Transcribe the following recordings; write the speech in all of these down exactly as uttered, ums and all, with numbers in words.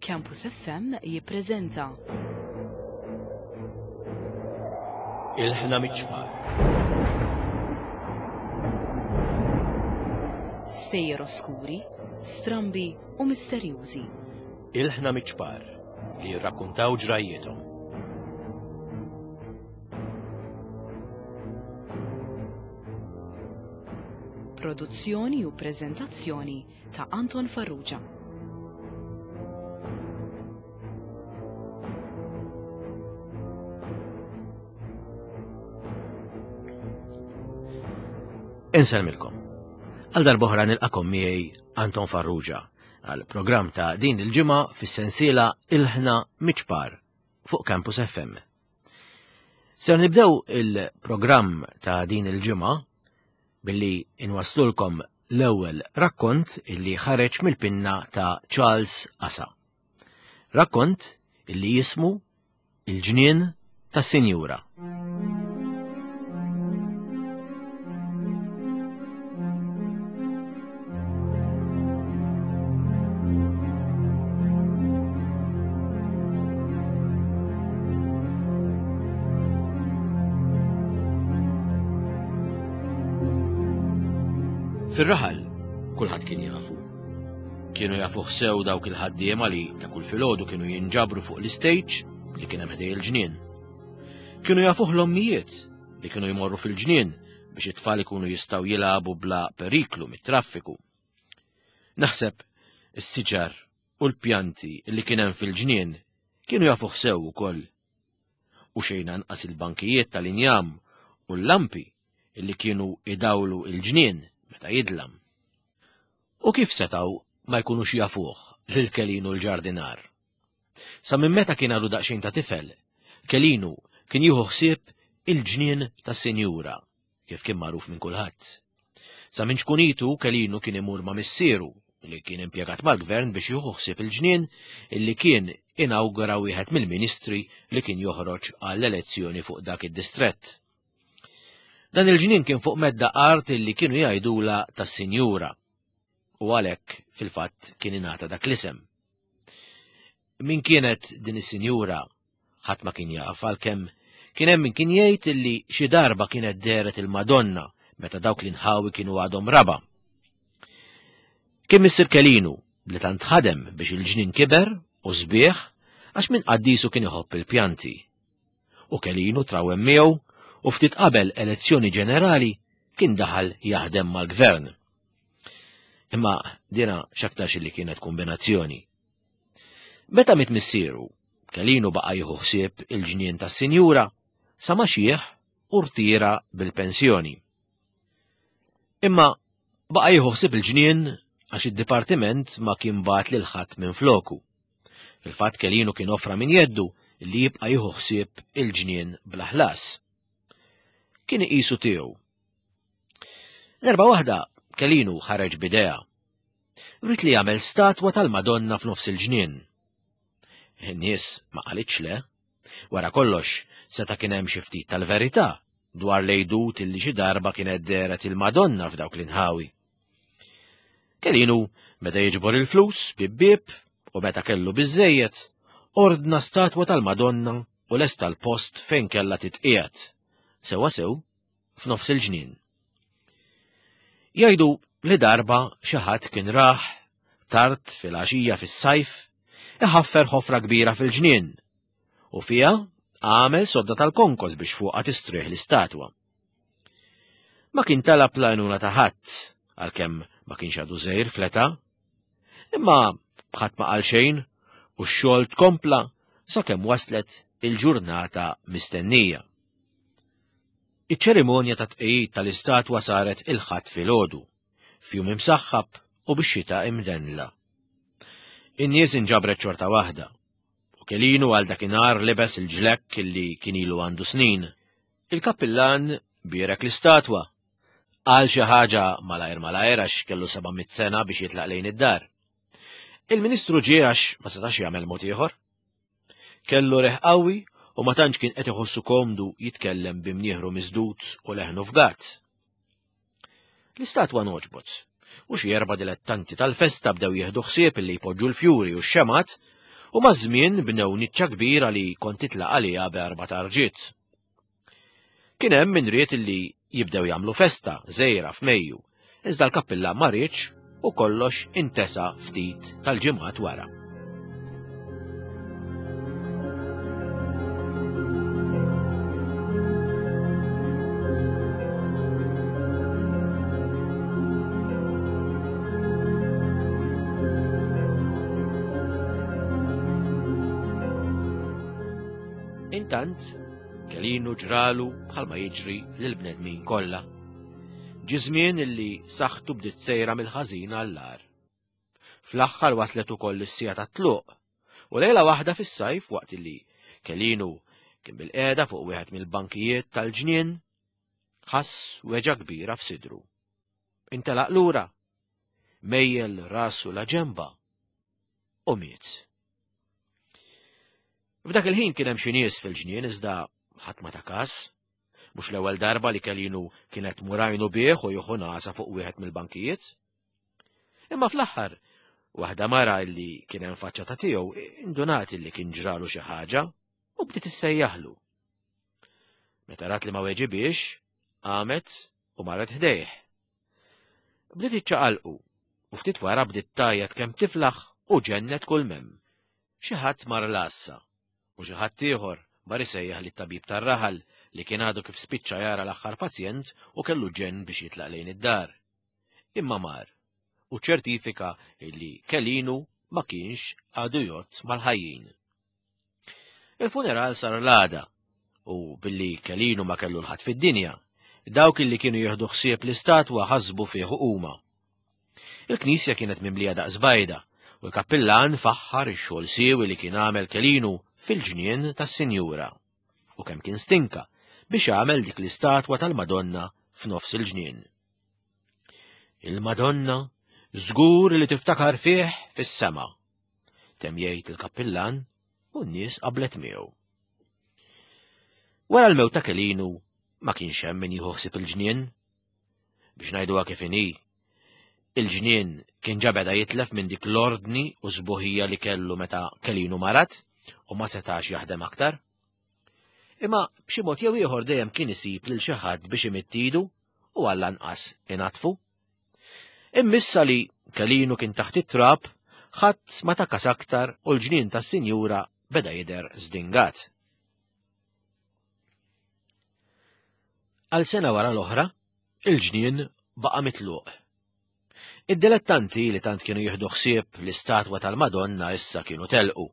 Campus F M jippreżenta Ilħna Miċ-Ċpar. Stejjer oskuri, strambi u misterjużi. Ilħna Miċ-Ċpar li jirrakkuntaw ġrajjietom. Produzzjoni u preżentazzjoni ta' Anton Farrugia. Insellmilkom. Għal darb'oħra nilqakom miegħi Anton Farrugia għal programm ta' din il-ġimgħa fis-sensiela Ilħna Miċ-Ċpar fuq Campus F M. Ser nibdew il-programm ta' din il-ġimgħa billi inwaslulkom l-ewwel rakkont illi ħareġ mill-pinna ta' Charles Asa. Rakkont illi jismu Il-Ġnien tas-Sinjura. Fir-raħal kulħadd kien jafu. Kienu jafuh sew dawk il-ħaddiema li ta' kull filgħodu kienu jinġabru fuq l-istage li kien hemm ħdej il-ġnien. Kienu jafuh l-ommijiet li kienu jmorru fil-ġnien biex it-tfal ikunu jistgħu jilagħbu bla periklu mit-traffiku. Naħseb is-siġar u l-pjanti li kien hemm fil-ġnien kienu jafuh sew ukoll. U xejn anqas il-bankijiet tal-injam u l-lampi li kienu idawlu il-ġnien meta jidlam. U kif setgħu ma jkunux jafuh lil Kelinu l-ġardinar? Sa minn meta kien għadu daqsxejn ta' tifel, Kelinu kien jieħu ħsieb il-ġnien tas-sinjura, kif kien magħruf minn kulħadd. Sa minn ċkunitu Kelinu kien imur ma' missieru li kien impjegat mal-gvern biex jieħu ħsieb il-ġnien illi kien inawgura wieħed mill-ministri li kien joħroġ għall-elezzjoni fuq dak id-distrett. Dan il-ġnien kien fuq medda art illi kienu jgħidula tas-sinjura u għalhekk fil-fatt kien ingħata dak l-isem. Min kienet din is-sinjura ħadd ma kien jaf, għalkemm kien hemm min kien jgħid illi xi darba kienet dehret il-Madonna meta dawk l-inħawi kienu għadhom raba. Kien missier Kelinu li tant ħadem biex il-ġnien kiber u sbieħ għax minn qaddisu kien iħobb il-pjanti. U Kelinu trawem miegħu u ftit qabel elezzjoni ġenerali kien daħal jaħdem mal-gvern. Imma dina x'aktarx li kienet kombinazzjoni. Meta miet missieru, Kelinu baqa' jieħu ħsieb il-ġnien tas-sinjura sa ma xieħ u rtira bil-pensjoni. Imma baqa' jieħu ħsieb il-ġnien għax id-dipartiment ma kien bagħat lil ħadd minn floku. Fil-fatt Kelinu kien offra minn jeddu li jibqa' jieħu ħsieb il-ġnien bla ħlas. Kien iqisu tiegħu. Darba waħda Kelinu ħareġ b'idea. Ried li jagħmel statwa tal-Madonna f'nofs il-ġnien. In-nies ma qalitx le. Wara kollox seta' kien hemm xi ftit tal-verità dwar l-għidut illi xi darba kienet dehret il-Madonna f'dawk l-inħawi. Kelinu beda jiġbor il-flus bieb bieb u meta kellu biżżejjed ordna statwa tal-Madonna u lesta l-post fejn kellha titqiegħed. Sewwa sew f'nofs il-ġnien. Jgħidu li darba xi ħadd kien raħ tard fil-għaxija fis-sajf iħaffer ħofra kbira fil-ġnien u fiha għamel sodda tal-konkos biex fuqha tistrieħ l-istatwa. Ma kien talab l-għajnuna ta' ħadd għalkemm ma kienx għadu żgħir fl-età, imma ħadd ma qal xejn u x-xogħol tkompla sakemm waslet il-ġurnata mistennija. Iċ-ċerimonja ta' tqegħid tal-istatwa saret il-Ħadd filgħodu, f'jum imsaħħab u bix-xita imdenla. In-nies inġabret xorta waħda, u Kelinu għal dakinhar libes il-ġlekk illi kien ilu għandu snin. Il-kappillan bierek l-istatwa. Qal xi ħaġa malajr malajr għax kellu seba' mitt sena biex jitlaq lejn id-dar. Il-Ministru ġie għax ma setax jagħmel mod ieħor. Kellu reħ qawwi u ma tantx kien qed iħossu komdu jitkellem b'imnieħru miżdud u leħnu fgat. L-istatwa noġbot, u xi erba' dilettanti tal-festa bdew jieħdu ħsieb illi jpoġġu l-fjuri u x-xemgħat U maż-żmien bnew niċċa kbira li kont titlaq għaliha b'erba' tarġiet. Kien hemm min ried illi jibdew jagħmlu festa żgħira f'Mejju, iżda l-kappilla ma riedx u kollox intesa ftit tal-ġimgħat wara. Intant, Kelinu ġralu bħalma jiġri lill-bnedmin kollha. Ġie żmien illi saħħtu bdiet sejra mill-ħażin għall-agħar. Fl-aħħar waslet ukoll is-siegħa tat-tluq, u lejla waħda fis-sajf waqt illi Kelinu kien bil-qiegħda fuq wieħed mill-bankijiet tal-ġnien, ħass weġgħa kbira f'sidru. Intelaq lura, mejjel rasu la ġemba u miet. F'dak il-ħin kien hemm xi nies fil-ġnien iżda ħadd ma ta każ. Mhux l-ewwel darba li Kelinu kienet murajnu bih u jieħu nasa fuq wieħed mill-bankijiet. Imma fl-aħħar, waħda mara li kien hemm faċċata tiegħu indunat li kien ġralu xi ħaġa u bdiet issejjaħlu. Meta rat li ma weġibiex, qamet u marret ħdejh. Bdiet iċċaqalqu u ftit wara bdiet tgħajjat kemm tiflaħ u ġennet kull mem. Xi ħadd mar l-għassa u xi ħadd ieħor mar isejjaħ lit-tabib tar-raħal li kien għadu kif spiċċa jara l-aħħar pazjent u kellu ġenn biex jitlaq lejn id-dar. Imma mar u ċertifika li Kelinu ma kienx għadu jgħodd mal-ħajjin. Il-funeral sar l-għada u billi Kelinu ma kellu l-ħadd fid-dinja, dawk illi kienu jieħdu ħsieb l-istatwa ħasbu fih huma. Il-knisja kienet mimlija daqs bajda u l-kappillan faħħar ix-xogħol siewi li kien għamel Kelinu fil-ġnien tas-Sinjura u kemm kien stinka biex għamel dik l-istatwa tal-Madonna f'nofs il-ġnien. Il-Madonna żgur li tiftakar fih fis-sema, temm jgħid il-kappillan u n-nies qablet miegħu. Wara l-mewt ta' Kelinu ma kienx hemm min jieħu ħsieb il-ġnien. Biex ngħiduha kif inhi, il-ġnien kien ġa beda jitlef minn dik l-ordni u sbuħija li kellu meta Kelinu marat u ma setax jaħdem aktar. Imma b'xi mod jew ieħor dejjem kien isib lil xi ħadd biex imittidu u għall-anqas inatfu. Immissa li Kelinu kien taħt it-trab, ħadd ma takas aktar u l-ġnien tas-Sinjura beda jidher żdingat. Għal sena wara l-oħra, il-ġnien baqa' mitluq. Id-dilettanti li tant kienu jieħdu ħsieb l-istatwa tal-Madonna issa kienu telqu.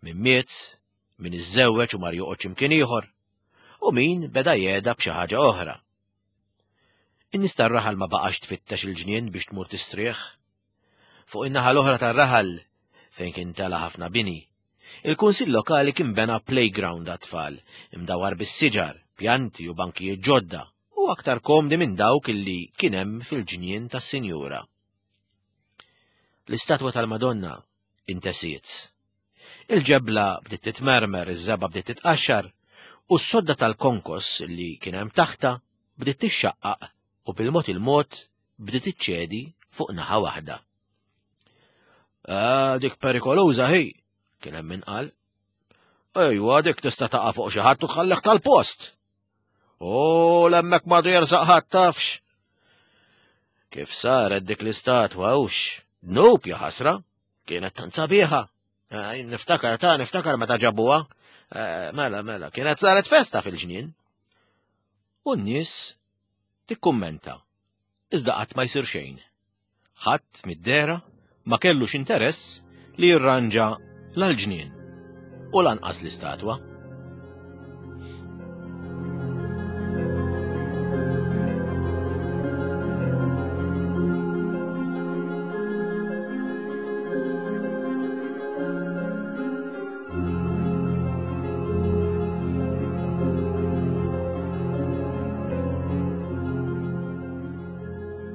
Min miet, min iżżewweġ u mar joqgħod x'imkien ieħor, u min beda jgħeda b'xi ħaġa oħra. In-nies tar-raħal ma baqax tfittex il-ġnien biex tmur tistrieħ. Fuq in-naħa l-oħra tar-raħal, fejn kien tela ħafna bini, il-kunsill lokali kien bena playground għat-tfal, imdawar bis-siġar, pjanti u bankijiet ġodda, u aktar komdi minn dawk illi kien hemm fil-ġnien tas-Sinjura. L-istatwa tal-Madonna intesiet. Il-ġebla bdiet titmermer, iż-żebgħa bdiet titqaxxar, u s-sodda tal-konkos li kien hemm taħta bdiet tixxaqqaq u bil-mod il-mod bdiet iċċedi fuq naħa waħda. Ah, dik perikoluża hi, kien hemm min qal. Ejwa, dik tista' taqa' fuq xi ħadd u tħallih tal-post. U l-hemmhekk m'għadu jersaq ħadd tafx. Kif saret dik l-istatwa hux, dnub ja ħasra, kienet tant sabiħa. Niftakar ta' niftakar meta ġabuha. Mela, mela, kienet saret festa fil-ġnien. U n-nies tikkummenta, iżda qatt ma jsir xejn. Ħadd mid-dehra ma kellux interess li jirranġa l-ġnien u lanqas l-istatwa.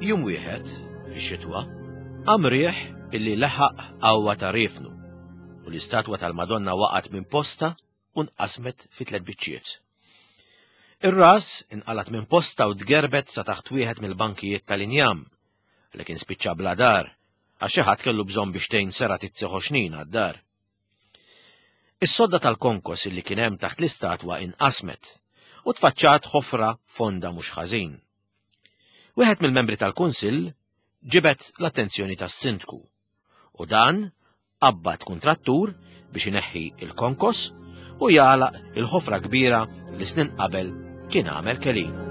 Jum wieħed, fix-xitwa, qam riħ illi laħaq qawwa ta' riefnu u l-istatwa tal-Madonna waqgħet minn posta u nqasmet fi tliet biċċiet. Ir-ras inqalat minn posta u tgerbet sa taħt wieħed mill-bankijiet tal-injam li kien spiċċa bla dar għax xi ħadd kellu bżonn biex tgħin sera titsi ħoxnin għad-dar. Is-sodda tal-konkos illi kien hemm taħt l-istatwa inqasmet u tfaċċat ħofra fonda mhux ħażin. Wieħed mill-membri tal-Kunsill ġibet l-attenzjoni tas-sindku u dan qabbad kuntrattur biex ineħħi il-konkos u jagħlaq il-ħofra kbira li snin qabel kien għamel Kelinu.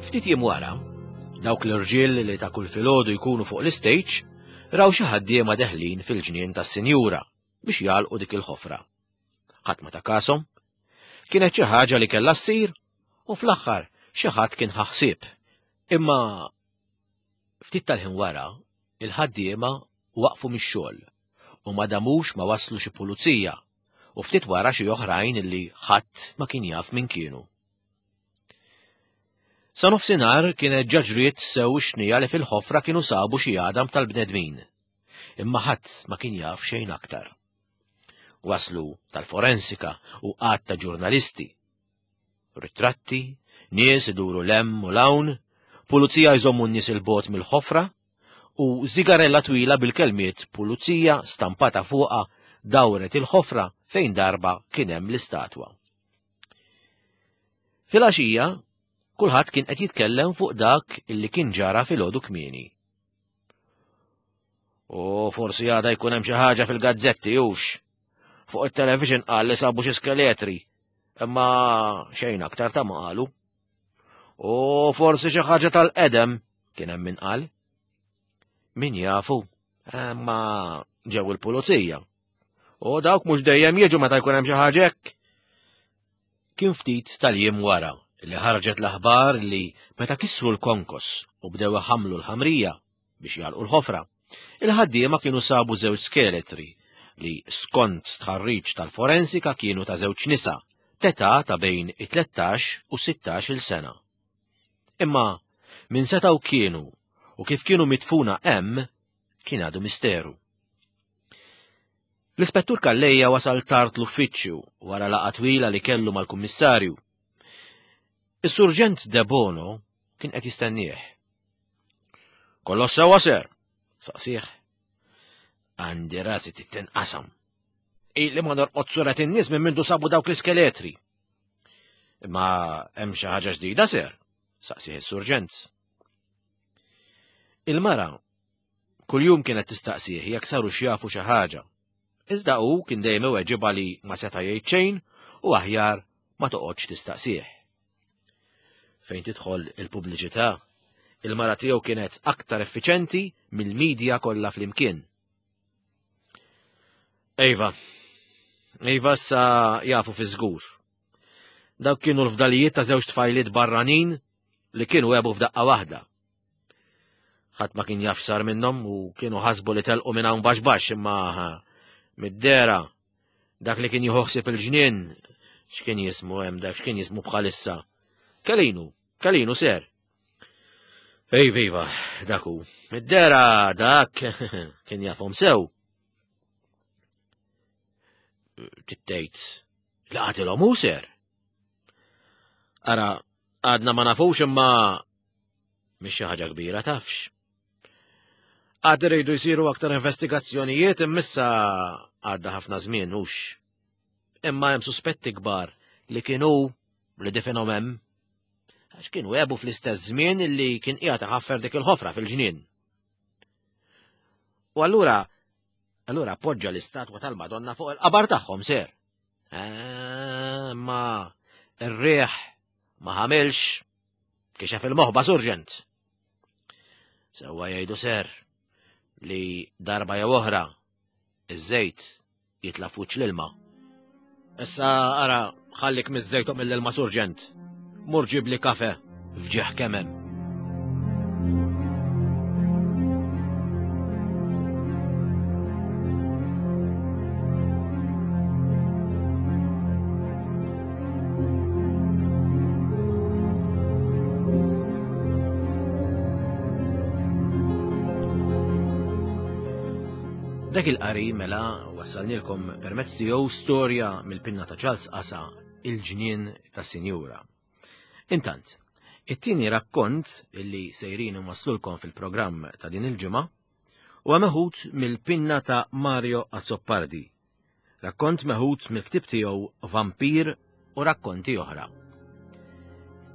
Ftit jiem wara, dawk l-irġiel li ta' kull filgħodu jkunu fuq l-istage raw xi ħaddiema deħlin fil-ġnien tas-sinjura biex jagħlqu dik il-ħofra. Ħadd ma ta' kashom, kienet xi ħaġa li kellha ssir u fl-aħħar xi ħadd kien ħaħsieb. Imma ftit tal-ħin wara, il-ħaddiema waqfu mix-xogħol u ma damux ma waslu xi pulizija u ftit wara xi oħrajn li ħadd ma kien jaf min kienu. Sa nofsinhar kienet ġaġriet sew xnija li fil-ħofra kienu sabu xi għadam tal-bnedmin, imma ħadd ma kien jaf xejn aktar. Waslu tal-forensika u qatt ta' ġurnalisti. Ritratti, nies iduru lem u lawn, pulizija jżommu n-nies il-bot mill-ħofra u zigarella twila bil-kelmiet pulizija stampata fuqha dawret il-ħofra fejn darba kien hemm l-istatwa. Filgħaxija, kulħadd kien qed jitkellem fuq dak illi kien ġara filgħodu kmieni. U forsi għada jkun hemm xi ħaġa fil-gazzetti hux. Fuq it-television qal li sabu xi skeletri, imma xejn aktar ta' ma qalu. U forsi xi ħaġa tal-qedem kien hemm min qal. Min jafu, imma ġew il-pulizija. U dawk mhux dejjem jiġu meta jkun hemm xi ħaġa hekk. Kien ftit tal-jiem wara li ħarġet l-aħbar li meta kisru l-konkos u bdew iħammlu l-ħamrija biex jagħlqu l-ħofra, il-ħaddiema kienu sabu żewġ skeletri li skont stħarriġ tal-forensika kienu ta' żewġ nisa, t'età ta' bejn it-tlettax u sittax il sena. Imma min setgħu kienu u kif kienu mitfuna hemm kien għadu misteru. L-ispettur Calleja wasal tard l-uffiċċju wara laqgħa twila li kellu mal-kummissarju. Is-surġent De Bono kien qed jistennieh. Kollox sewwa ser, saqsih. Għandi rasi titinqasam. Ili ma norqod suret in-nies minn mindu sabu dawk l-iskeletri. Imma hemm xi ħaġa ġdida ser, saqsih is-surġent. Il-mara kuljum kienet tistaqsih jekk saru x'jafu xi ħaġa. Iżda hu kien dejjem iweġibha li ma seta' jgħid xejn u aħjar ma toqgħodx tistaqsih. Fejn tidħol il-pubbliċità, il-mara tiegħu kienet aktar effiċenti mill-medja kollha flimkien. Ejva, ejva sa jafu fi żgur. Dawk kienu l-fdalijiet ta' żewġ tfajliet barranin li kienu għebu f'daqqa waħda. Ħadd ma kien jaf x'sar minnhom u kienu ħasbu li telqu minn hawn baxx baxx, imma mid-dera dak li kien jieħu ħsieb il-ġnien, x'kien jismu hemm dak, x'kien jismu bħalissa. Kelinu, Kelinu ser. Ej, viva, dak hu. Mid-dera dak kien jafhom sew. Tittejt, laqatilhom hu ser. Ara, għadna ma nafux imma mhix xi ħaġa kbira tafx. Għad iridu jsiru aktar investigazzjonijiet immissa għadda ħafna żmien hux. Imma hemm suspetti kbar li kienu li difenhom hemm. Għax kienu għebu fl-istess żmien li kien qiegħed iħaffer dik il-ħofra fil-ġnien. U allura, allura poġġa l-istatwa tal-Madonna fuq il-qabar tagħhom ser. Ma ir-riħ ma ħamilx kixef il-moħba surġent. Sewwa jgħidu ser li darba jew oħra iż-żejt jitla' f'wiċċ l-ilma. Issa ara ħallik miż-żejt u mill-ilma surġent. Mur ġibli kafe f'ġieħ kemm hemm. Dak il-qari mela wassalnilkom permezz tiegħu storja mill-pinna ta' Charles Qasa, Il-ġnien tas-Sinjura. Intant, it-tieni rakkont illi sejrin waslulkom fil-programm ta' din il-ġimgħa huwa meħud mill-pinna ta' Mario Azzopardi. Rakkont meħud mill-ktieb tiegħu Vampir u rakkonti oħra.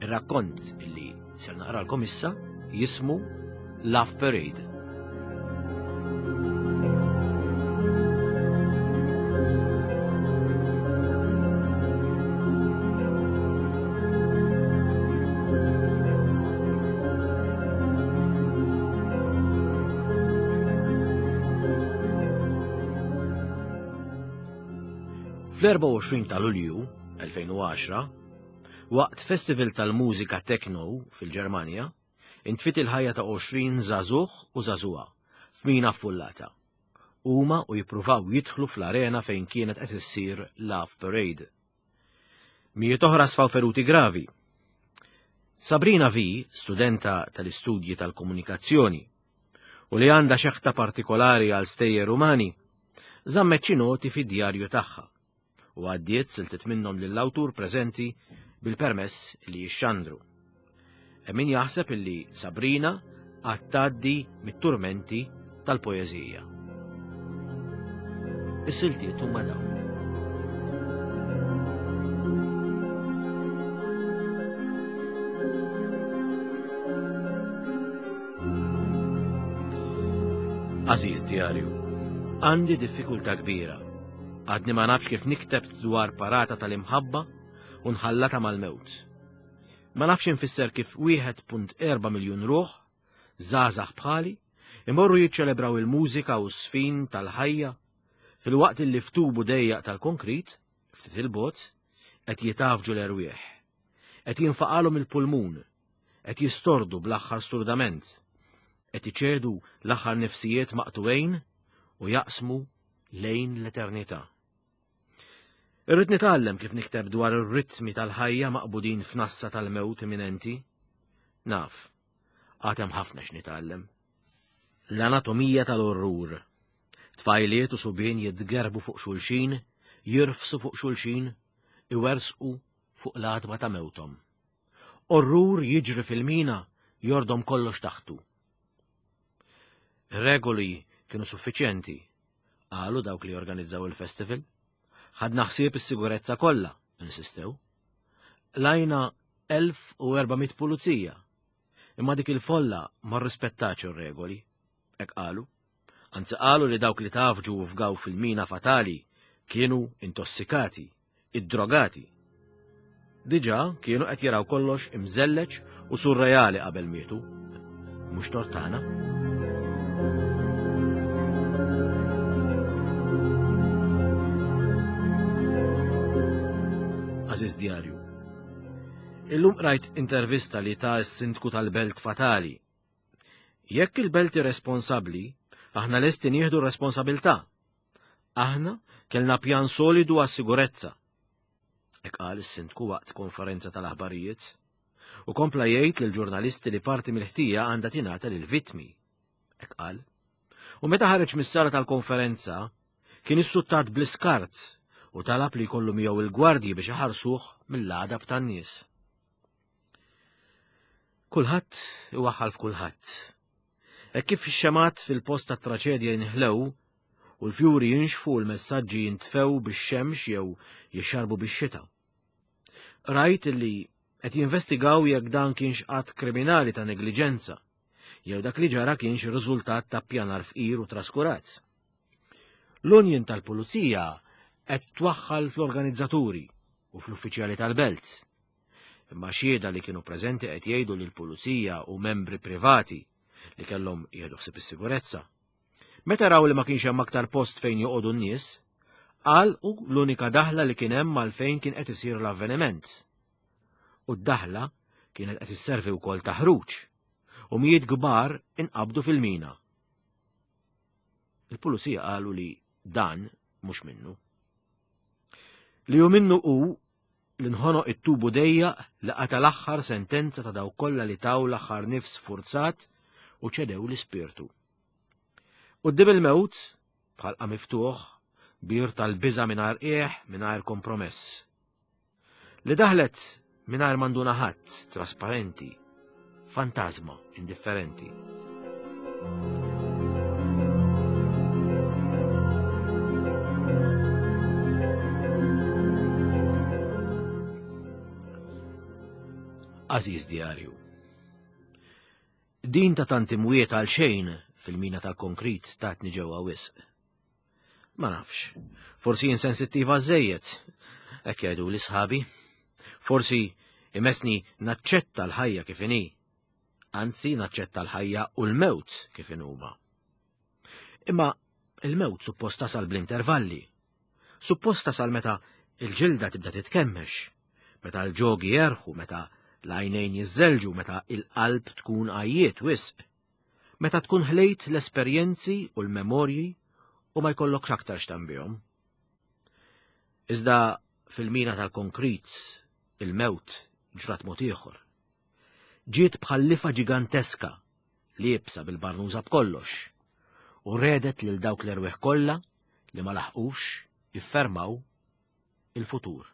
Ir-rakkont illi ser naqralkom issa jismu Love Parade. Fl-erbgħa u għoxrin ta' Lulju elfejn u għaxra, waqt festival tal-mużika techno fil-Ġermanja, intfit il-ħajja ta' għoxrin żagħżugħ u żagħżugħa f'mina affullata. Huma u jippruvaw jidħlu fl-arena fejn kienet qed issir Love Parade. Mijiet oħra sfaw feruti gravi. Sabrina V, studenta tal-istudji tal-komunikazzjoni, u li għandha xeħta partikolari għal stejjer umani, żammet xi noti fid-djarju tagħha u għaddiet siltiet minnhom lill-awtur preżenti bil-permess li jixxandru. Hemm min jaħseb illi Sabrina għad tgħaddi mit-turmenti tal-poeżija. Is-siltiet huma dawn. Aziz djarju, għandi diffikultà kbira. Għadni ma nafx kif nikteb dwar parata tal-imħabba u nħallata mal-mewt. Ma nafx infisser kif wieħed punt erba' miljun ruħ, żgħażagħ bħali, imorru jiċċelebraw il-mużika u s-sfin tal-ħajja fil-waqt li ftubu dejjaq tal-konkrit, ftit il-bot, qed jitafġu l-erwieħ, qed jinfaqalhom il-pulmun, qed jistordu bl-aħħar sturdament, qed iċedu l-aħħar nifsijiet maqtuwejn u jaqsmu lejn l-eternità. Irrid nitgħallem kif nikteb dwar ir-ritmi tal-ħajja maqbudin f'nassa tal-mewt imminenti. Naf, għad hemm ħafna x'nitgħallem. L-anatomija tal-orrur. Tfajliet u subien jitgerbu fuq xulxin, jirfsu fuq xulxin, iwersqu fuq l-għatba ta' mewthom. Orrur jiġri fil-mina jordom kollox taħtu. Ir-regoli kienu suffiċjenti, qalu dawk li organizzaw il-festival. Ħadna ħsieb is-sigurezza kollha, insistew. Lajna elf u erba' mitt pulizija, imma dik il-folla ma rrispettax ir-regoli, hekk qalu. Anzi qalu li dawk li tafġu u fgaw fil-mina fatali kienu intossikati, iddrogati. Diġà kienu qed jaraw kollox imżelleġ u surreali qabel mietu. Mhux tortana. Aziz djarju, illum rajt intervista li ta' s-sindku tal-Belt Fatali. Jekk il-Belt irresponsabbli, aħna lesti nieħdu r-responsabilità. Aħna kellna pjan solidu għas-sigurezza. Hekk qal is-sindku waqt konferenza tal-aħbarijiet. U kompla jgħid lill-ġurnalisti li parti mill-ħtija għandha tingħata lill-vittmi. Hekk qal. U meta ħareġ mis-sala tal-konferenza, kien issuttat bl-iskart u talab li jkollu miegħu il-gwardji biex iħarsuh mill-għadab tan-nies. Kulħadd iwaħħal f'kulħadd. Hekk kif ix-xemat fil-post tat-traċedja jinħlew u l-fjuri jinxfu u l-messaġġi jintfew bix-xemx jew jixxarbu bix-xita. Rajt li qed jinvestigaw jekk dan kienx att kriminali ta' negliġenza jew dak li ġara kienx riżultat ta' pjanar fqir u traskurat. L-Union tal-Pulizija qed twaħħal fl-organizzaturi u fl-uffiċjali tal-belt. Imma xhieda li kienu preżenti qed jgħidu li l-pulizija u membri privati li kellhom jieħdu ħsieb is-sigurezza. Meta raw li ma kienx hemm aktar post fejn joqogħdu n-nies, għalqu l-unika daħla li kien hemm għal fejn kien qed isir l-avveniment. U d-daħla kienet qed isservi wkoll ta' ħruġ, u mijiet kbar inqabdu fil-mina. Il-pulizija qalu li dan mhux minnu. Li hu minnu hu li nħonoq it-tubu dejjaq li qata l-aħħar sentenza ta' dawk kollha li taw l-aħħar nifs forzat u ċedew l-ispirtu. Quddiem il-mewt, B'ħalqha miftuħ, bir tal-biża' mingħajr qiegħ, mingħajr kompromess. Li daħlet mingħajr manduna ħadd, trasparenti, fantasma indifferenti. Għażiż djarju, din ta' tant imwiet għal xejn fil-mina tal-konkrit tatni ġewwa wisq. Ma nafx, forsi insensittiva żejjed, hekk jgħidu li sħabi. Forsi imessni naċċetta l-ħajja kif inhi, anzi naċċetta l-ħajja u l-mewt kif inhuma. Imma il-mewt suppost tasal bl-intervalli, suppost tasal meta il-ġilda tibda titkemmex, meta l-ġogi jerħu, meta l-għajnejn jiżżelġu, meta il-qalb tkun għajjiet wisq, meta tkun ħlejt l-esperjenzi u l-memorji u ma jkollokx aktar x'tambihom. Iżda fil-mina tal-konkrit il-mewt ġrat mod ieħor. Ġiet bħal-lifa ġiganteska liebsa bil-barnuża b'kollox u redet lil dawk l-erwieħ kollha li ma laħqux jiffermaw il-futur.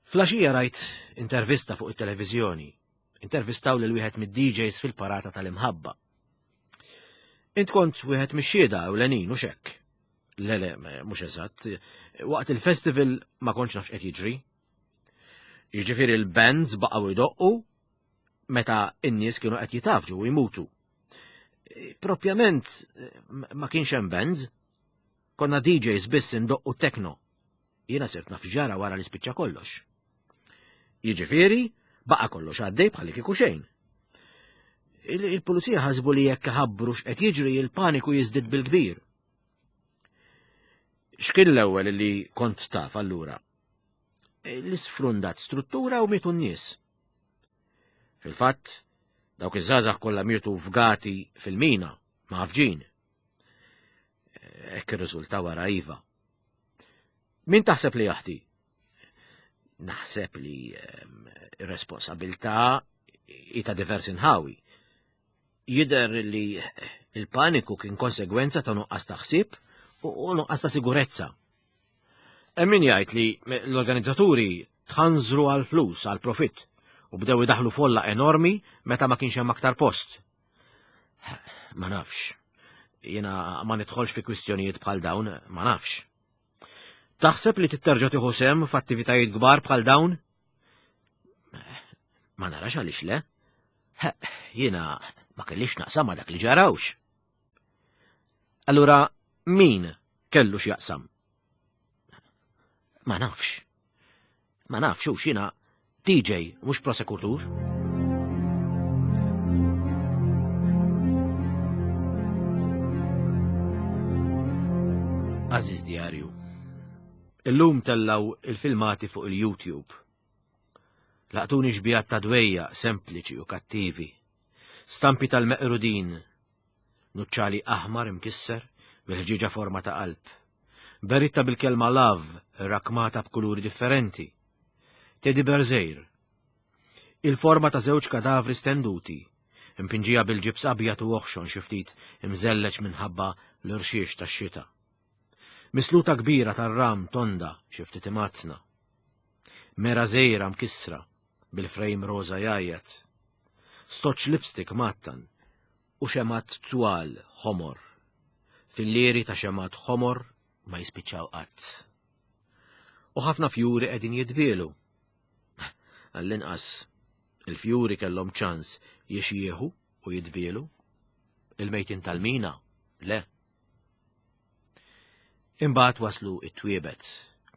Flaxija rajt intervista fuq it-televiżjoni. Intervistaw lil wieħed mid-D Js fil-parata tal-imħabba. Int kont wieħed mix-xhieda ewlenin u xekk. Le, le, mhux eżatt. Waqt il-festival ma kontx nafx qed jiġri. Jiġifieri l-bands baqgħu jdoqqu meta n-nies kienu qed jitafġu u jmutu. Propjament ma kienx hemm bands. Konna D Js biss indoqqu techno. Jiena sirt naf ġara wara li spiċċa kollox. Jiġifieri, baqa' kollox għaddej bħalli kieku xejn. Il-pulizija ħasbu li jekk ħabbru x'qed jiġri il-paniku jiżdied bil-kbir. X'kien l-ewwel li kont taf allura? L-isfrundat struttura u mietu n-nies. Fil-fatt, dawk iż-żgħażagħ kollha mietu fgati fil-mina, mgħaffġin. Hekk irriżulta wara iva. Min taħseb li jaħti? Naħseb li, ehm, ir-responsabilità hi ta' diversi nħawi. Jidher li il-paniku kien konsegwenza ta' nuqqas ta' ħsieb u nuqqas ta' sigurezza. Hemm min jgħid li l-organizzaturi tħanżru għal flus, għal profitt, u bdew idaħlu folla enormi meta ma kienx hemm aktar post. Ma nafx. Jiena ma nidħolx fi kwistjonijiet bħal dawn, ma nafx. Taħseb li titterġa' tieħu sehem f'attivitajiet kbar bħal dawn? Ma narax għaliex le. Jiena ma kellix naqsam ma dak li ġarawx. Allura min kellu x'jaqsam? Ma nafx. Ma nafx hux jiena D J mhux prosekutur. Għażiż djarju, illum tellaw il-filmati fuq il-YouTube. Laqtuni xbijat ta' dwejja sempliċi u kattivi, stampi tal-meqrudin, nuċċali aħmar imkisser bil-ħġieġa forma ta' qalb, beritta bil-kelma love rakmata b'kuluri differenti, teddy bear żgħir, il-forma ta' żewġ kadavri stenduti, impinġija bil-ġibs abjad u oħxon xi ftit imżelleġ minħabba l-irxiex tax-xita. Misluta kbira tar-ram tonda xi ftit imatna. Mera żgħira mkissra bil-frame roża jgħajjat. Stoċ lipstick mattan u xemat twal ħomor. Fillieri ta' xemat ħomor ma jispiċċaw qatt. U ħafna fjuri qegħdin jitbielu. Għall-inqas il-fjuri kellhom ċans jixjieħu u jitbielu. Il-mejtin tal-mina, le. Imbagħad waslu it-twiebet,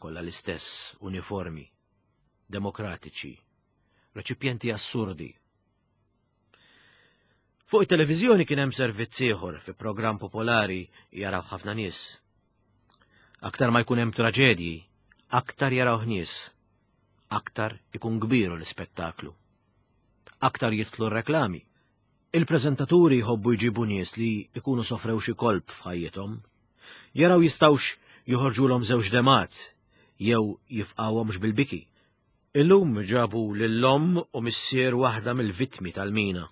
kollha l-istess, uniformi, demokratiċi, reċipjenti assurdi. Fuq it-televiżjoni kien hemm servizz ieħor fi programm popolari jaraw ħafna nies. Aktar ma jkun hemm traġedji, aktar jaraw nies, aktar ikun kbiru l-ispettaklu. Aktar jidħlu r-reklami. Il-preżentaturi jħobbu jġibu nies li jkunu sofrew xi kolp f'ħajjithom. Jaraw jistgħux joħorġulhom żewġ demat jew jifqawhomx bil-biki. Illum ġabu lill-omm u missier waħda mill-vittmi tal-mina.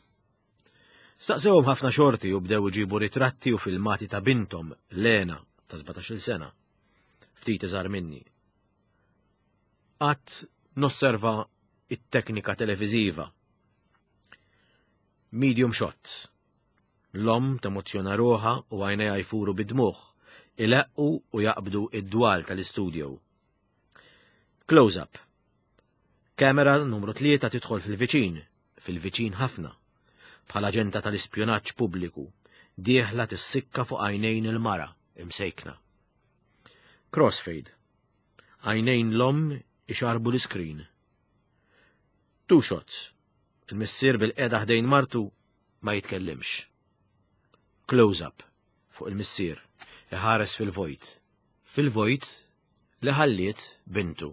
Staqsewhom ħafna xorti u bdew iġibu ritratti u filmati ta' binthom, Lena, ta' sbatax-il sena. Ftit iżgħar minni. Qatt nosserva it-teknika televiżiva. Medium shot. L-omm temozzjona ruħha u għajnejha jfuru bid-dmugħ, ileqqu u jaqbdu id-dwal tal-istudio. Close-up. Kamera numru tlieta tidħol fil-viċin, fil-viċin ħafna, bħala aġenta tal-ispjunaġġ pubbliku, dieħla tissikka fuq għajnejn il-mara, imsejkna. Crossfade. Għajnejn l-omm ixarbu l-iskrin. Two shots. Il-missier bil-qeda ħdejn martu ma jitkellimx. Close-up fuq il-missier, iħares fil-vojt. Fil-vojt li ħalliet bintu.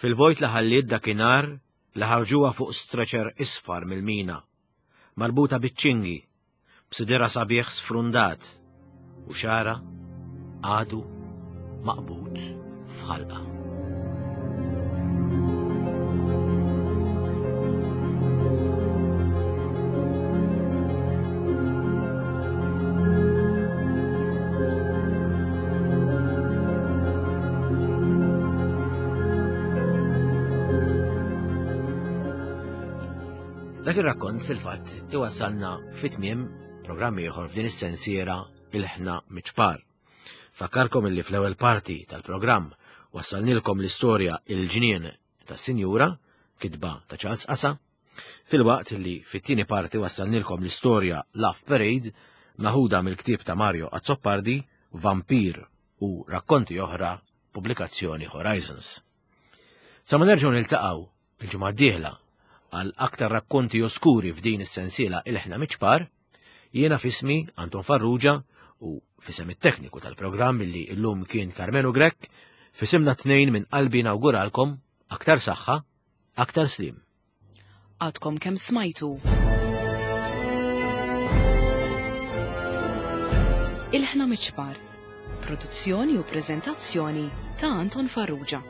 Fil-vojt li ħalliet dakinhar li ħarġuha fuq stretcher isfar mill-mina, marbuta biċ-ċingi, b'sidira sabiħ sfrundat u xagħarha għadu maqbud f'ħalqa. Dak ir-rakkont fil-fatt iwassalna fit-tmiem programm ieħor f'din is-sensiera Ilħna Miċpar. Fakkarkom illi fl-ewwel parti tal-programm wassalnilkom l-istorja Il-Ġnien tas-Sinjura, kitba ta' Charles Qasa, filwaqt li fit-tieni parti wassalnilkom l-istorja Love Parade maħuda mill-ktieb ta' Mario Azzopardi, Vampir u rakkonti oħra, pubblikazzjoni Horizons. Sa ma nerġgħu niltaqgħu il-ġimgħa d-dieħla għal aktar rakkonti oskuri f'din is-sensiela Ilħna Miċpar, jiena f'ismi Anton Farrugia u f'isem it-tekniku tal-programm li illum kien Carmenu Grech, f'isimna tnejn minn qalbi nawguralkom aktar saħħa, aktar slim. Għadkom kemm smajtu. Ilħna Miċpar, produzzjoni u preżentazzjoni ta' Anton Farrugia.